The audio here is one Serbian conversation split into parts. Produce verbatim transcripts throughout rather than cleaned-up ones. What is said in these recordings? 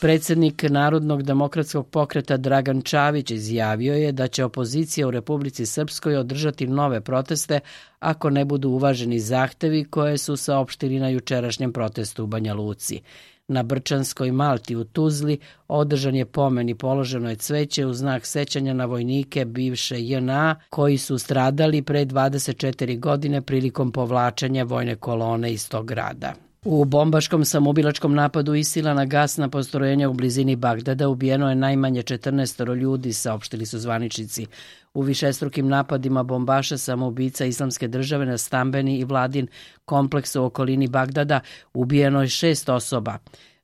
Predsednik Narodnog demokratskog pokreta Dragan Čavić izjavio je da će opozicija u Republici Srpskoj održati nove proteste ako ne budu uvaženi zahtevi koje su saopštili na jučerašnjem protestu u Banja Luci. Na Brčanskoj Malti u Tuzli održan je pomen i položeno je cveće u znak sećanja na vojnike bivše J N A koji su stradali pre dvadeset četiri godine prilikom povlačenja vojne kolone iz tog grada. U bombaškom samoubilačkom napadu ISIL-a na gasna postrojenja u blizini Bagdada ubijeno je najmanje četrnaest ljudi, saopštili su zvaničnici. U višestrukim napadima bombaša samoubica Islamske države na stambeni i vladin kompleks u okolini Bagdada ubijeno je šest osoba.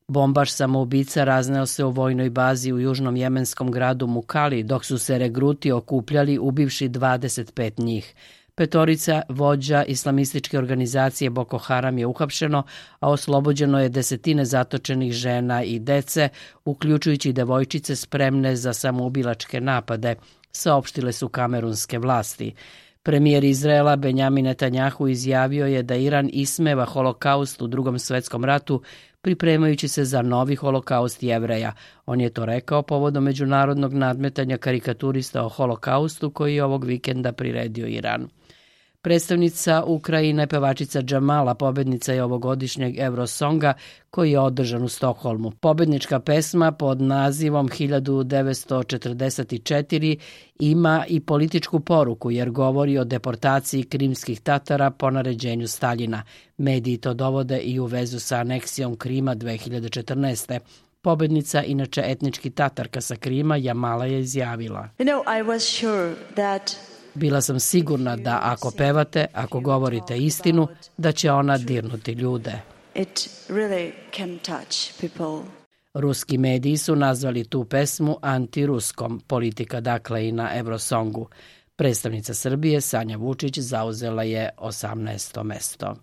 Bombaš samoubica razneo se u vojnoj bazi u južnom jemenskom gradu Mukali, dok su se regruti okupljali ubivši dvadeset pet njih. Petorica vođa islamističke organizacije Boko Haram je uhapšeno, a oslobođeno je desetine zatočenih žena i dece, uključujući devojčice spremne za samoubilačke napade, saopštile su kamerunske vlasti. Premijer Izraela Benjamin Netanjahu izjavio je da Iran ismeva holokaust u Drugom svetskom ratu, pripremajući se za novi holokaust Jevreja. On je to rekao povodom međunarodnog nadmetanja karikaturista o holokaustu koji je ovog vikenda priredio Iran. Predstavnica Ukrajine, pevačica Džamala, pobednica je ovogodišnjeg Eurosonga koji je održan u Stokholmu. Pobednička pesma pod nazivom hiljadu devetsto četrdeset četiri ima i političku poruku jer govori o deportaciji krimskih Tatara po naređenju Staljina. Mediji to dovode i u vezu sa aneksijom Krima dve hiljade četrnaeste. Pobednica, inače etnički Tatarka sa Krima, Jamala je izjavila: You know, I was sure that Bila sam sigurna da ako pevate, ako govorite istinu, da će ona dirnuti ljude. it really can touch people. Ruski mediji su nazvali tu pesmu antiruskom, politika dakle i na Eurosongu. Predstavnica Srbije Sanja Vučić zauzela je osamnaesto mesto.